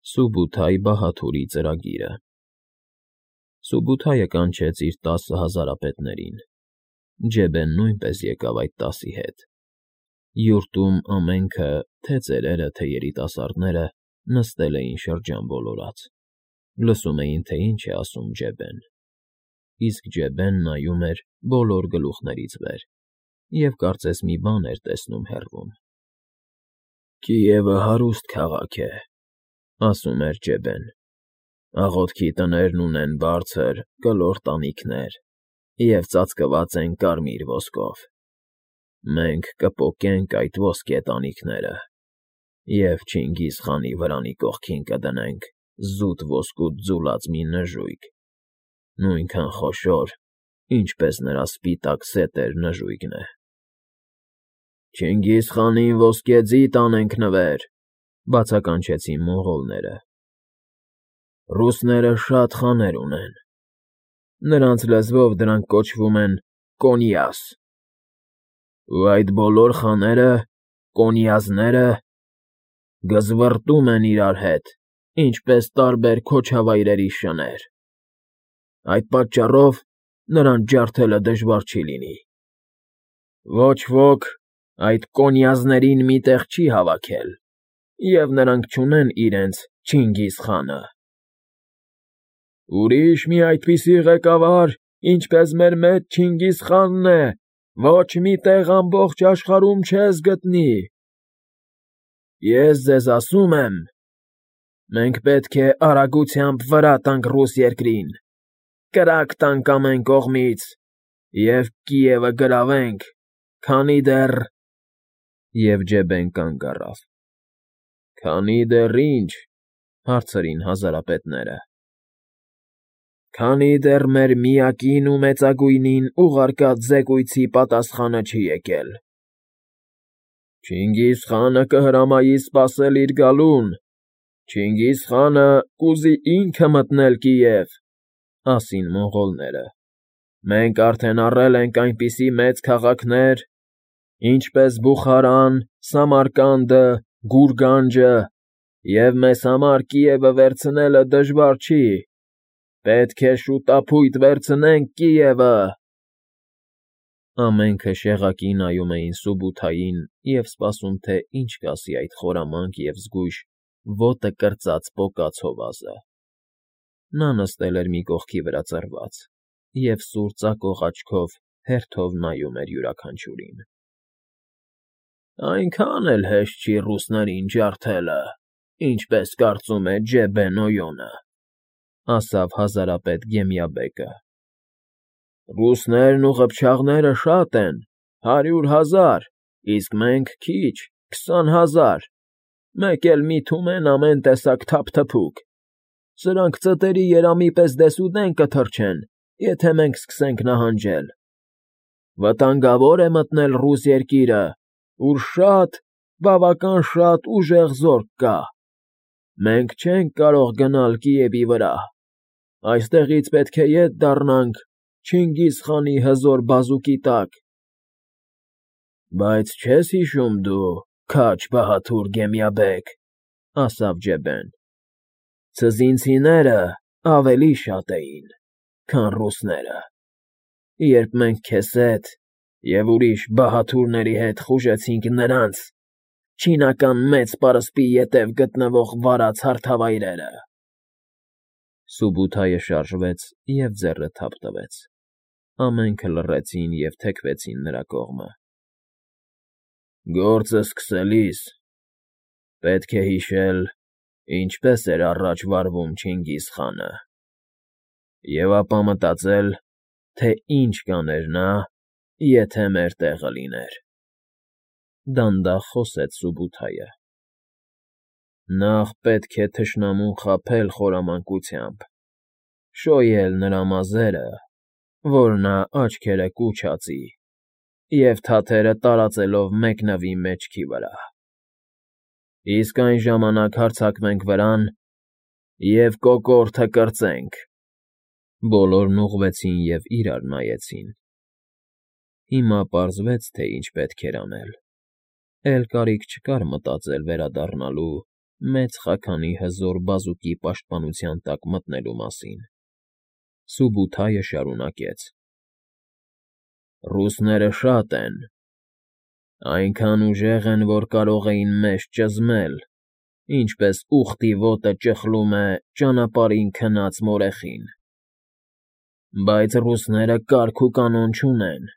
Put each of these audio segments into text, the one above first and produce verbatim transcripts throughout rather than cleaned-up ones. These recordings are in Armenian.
Սուբութայ Բահաթուրի ծրագիրը Սուբութայը կանչեց իր տասը հազարապետներին, Ջեբեն նույնպես եկավ այդ տասի հետ. յուրտում ամենքը, թե՛ ծերերը, թե՛ երիտասարդները նստել էին շրջան ոլորած, լսում էին, թե ինչ է ասում Ջեբեն, իսկ Ջեբեն նայում էր բոլոր գլուխներից վեր և կարծես մի բան էր տեսնում հեռվում։ ֊ Կիևը հարուստ քաղաք է,֊ ասում էր Ջեբեն,֊ աղոթքի տներն ունեն բարձր, կլոր տանիքներ և ծածկված են կարմիր ոսկով. մենք կպոկենք այդ ոսկե տանիքները և Չինգիզխանի վրանի կողքին կդնենք զուտ ոսկուց ձուլած մի նժույգ, նույնքան խոշոր, ինչպես նրա սպիտակ սետեր նժույգն է։ ֊ Չինգիզխանին ոսկե ձի տանենք նվեր,֊ բացականչեցին մոնղոլները։ ֊ Ռուսները շատ խաներ ունեն, նրանց լեզվով դրանք կոչվում են կոնյազ, ու այդ բոլոր խաները, կոնյազները, գզվռտում են իրար հետ, ինչպես տարբեր քոչավայրերի շներ, այդ պատճառով նրանց ջարդելը դժվար չի լինի։ Ոչ ոք այդ կոնյազներին մի տեղ չի հավաքել, և նրանք չունեն իրենց Չինգիզխանը։ ֊ Ուրիշ մի այդպիսի ղեկավար, ինչպես մեր մեծ Չինգիզխանն է, ոչ մի տեղ ամբողջ աշխարհում չես գտնի։ Ես ձեզ ասում եմ, մենք պետք է արագությամբ վրա տանք ռուս երկրին, կրակ տանք ամեն կողմից և Կիևը գրավենք, քանի դեռ… Եվ Ջեբեն կանգ առավ։ ֊ Քանի դեռ ի՞նչ,֊ հարցրին հազարապետները։ ֊ Քանի դեռ մեր միակին ու մեծագույնին ուղարկած զեկույցի պատասխանը չի եկել։ ֊ Չինգիզխանը կհրամայի սպասել իր գալուն, Չինգիզխանը կուզի ինքը մտնել Կիև,֊ ասին մոնղոլները։ Մենք արդեն առել ենք այնպիսի մեծ քաղաքներ, ինչպես Բուխարան, Սամարկանդը, Գուրգանջը, և մեզ համար Կիևը վերցնելը դժվար չի, պետք է շուտափույթ վերցնենք Կիևը… Ամենքը շեղակի նայում էին Սուբութային և սպասում, թե ինչ կասի այդ խորամանկ և զգույշ, ոտը կրծած պոկած հովազը։ Նա նստել էր մի կողքի վրա ծռված և սուր ծակող աչքով հերթով նայում էր յուրաքանչյուրին։ ֊ Այնքան էլ հեշտ չի ռուսներին ջարդելը, ինչպես կարծում է Ջեբեն Օյոնը,֊ ասավ հազարապետ Գեմյաբեկը։ ֊ Ռուսներն ու ղփչաղները շատ են, հարյուր հազար, իսկ մենք քիչ, քսան հազար, մեկ էլ մի թումեն ամեն տեսակ թափթփուկ, սրանք ծտերի երամի պես դեսուդեն կթռչեն, եթե մենք սկսենք նահանջել։ Վտանգավոր է մտնել ռուս երկիրը, ուր շատ, բավական շատ ուժեղ զորք կա։ Մենք չենք կարող գնալ Կիևի վրա, այստեղից պետք է ետ դառնանք Չինգիզխանի հզոր բազուկի տակ։ ֊ Բայց չես հիշում դու, քաջ Բահաթուր Գեմյաբեկ,֊ ասավ Ջեբեն,֊ թզինցիները ավելի շատ էին, քան ռուսները, երբ մենք քեզ հետ և ուրիշ բահաթուրների հետ խուժեցինք նրանց՝ չինական Մեծ պարսպի ետև գտնվող վարած հարթավայրերը… Սուբութայը շարժվեց և ձեռը թափ տվեց։ Ամենքը լռեցին և թեքվեցին նրա կողմը։ ֊ Գործը սկսելիս պետք է հիշել, ինչպես էր առաջ վարվում Չինգիզխանը, և ապա մտածել, թե ինչ կաներ նա, եթե մեր տեղը լիներ,֊ դանդաղ խոսեց Սուբութայը։ ֊ Նախ պետք է թշնամուն խաբել խորամանկությամբ, շոյել նրա մազերը, որ նա աչքերը կուչ հածի և թաթերը տարածելով մեկնվի մեջքի վրա, իսկ այն ժամանակ հարձակվենք վրան և կոկորդը կրծենք… Բոլորն ուղղվեցին և իրար նայեցին։ Հիմա պարզվեց, թե ինչ պետք էր անել, էլ կարիք չկար մտածել վերադառնալու մեծ խաքանի հզոր բազուկի պաշտպանության տակ մտնելու մասին։ Սուբութայը շարունակեց. «Ռուսները շատ են, այնքան ուժեղ են, որ կարող էին մեզ ճզմել, ինչպես ուղտի ոտը ճխլում է ճանապարհին քնած մորեխին։ Բայց ռուսները կարգ ու կանոն չունեն,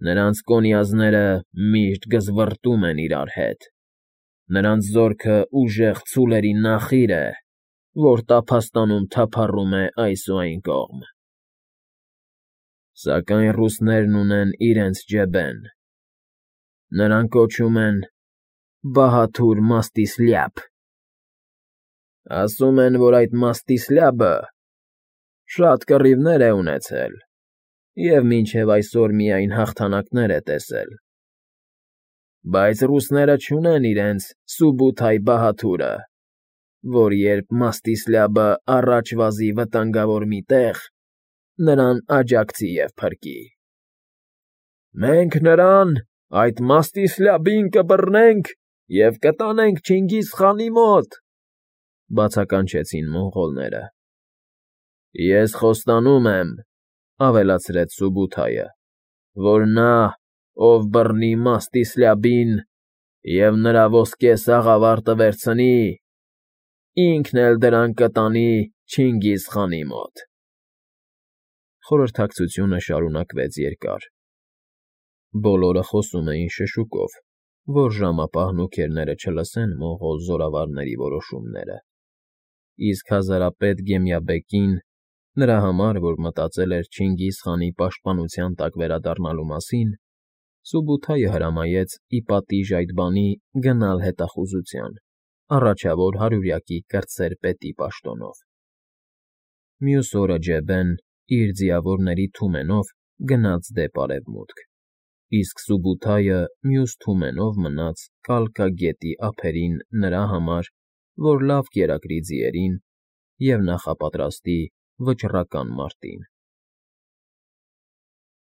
նրանց կոնյազները միշտ գզվռտում են իրար հետ, նրանց զորքը ուժեղ ցուլերի նախիր է, որ տափաստանում թափառում է այս ու այն կողմ։ Սակայն ռուսներն ունեն իրենց ջեբեն, նրան կոչում են Բահաթուր Մաստիսլյապ։ Ասում են, որ այդ Մաստիսլյապը շատ կռիվներ է ունեցել և մինչև այսօր միայն հաղթանակներ է տեսել, բայց ռուսները չունեն իրենց Սուբութայ Բահաթուրը, որ երբ Մաստիսլյապը առաջ վազի վտանգավոր մի տեղ, նրան աջակցի և փրկի։ Մենք նրան, այդ Մաստիսլյապին, կբռնենք և կտանենք Չինգիզխանի մոտ, ֊ բացականչեցին մոնղոլները։ Ես խոստանում եմ, ֊ ավելացրեց Սուբութայը, ֊ որ նա, ով բռնի Մաստիսլյապին և նրա ոսկե սաղավարտը վերցնի, ինքն էլ դրանք կտանի Չինգիզխանի մոտ։ Խորհրդակցությունը շարունակվեց երկար։ Բոլորը խոսում էին շշուկով, որ ժամապահն ու քերները չլսեն մոնղոլ զորավարների որոշումները, իսկ հազարապետ Գեմյաբեկին, նրա համար, որ մտածել էր Չինգիզխանի պաշտպանության տակ վերադառնալու մասին, Սուբութայը հրամայեց ի պատիժ այդ բանի գնալ հետախուզության, առաջավոր հարյուրյակի կրտսեր պետի պաշտոնով։ Մյուս օրը Ջեբեն իր ձիավորների թումենով գնաց դեպ արևմուտք, իսկ Սուբութայը մյուս թումենով մնաց Կալկա գետի ափերին նրա համար, որ լավ կերակրի ձիերին և նախապատրաստի վճռական մարտին։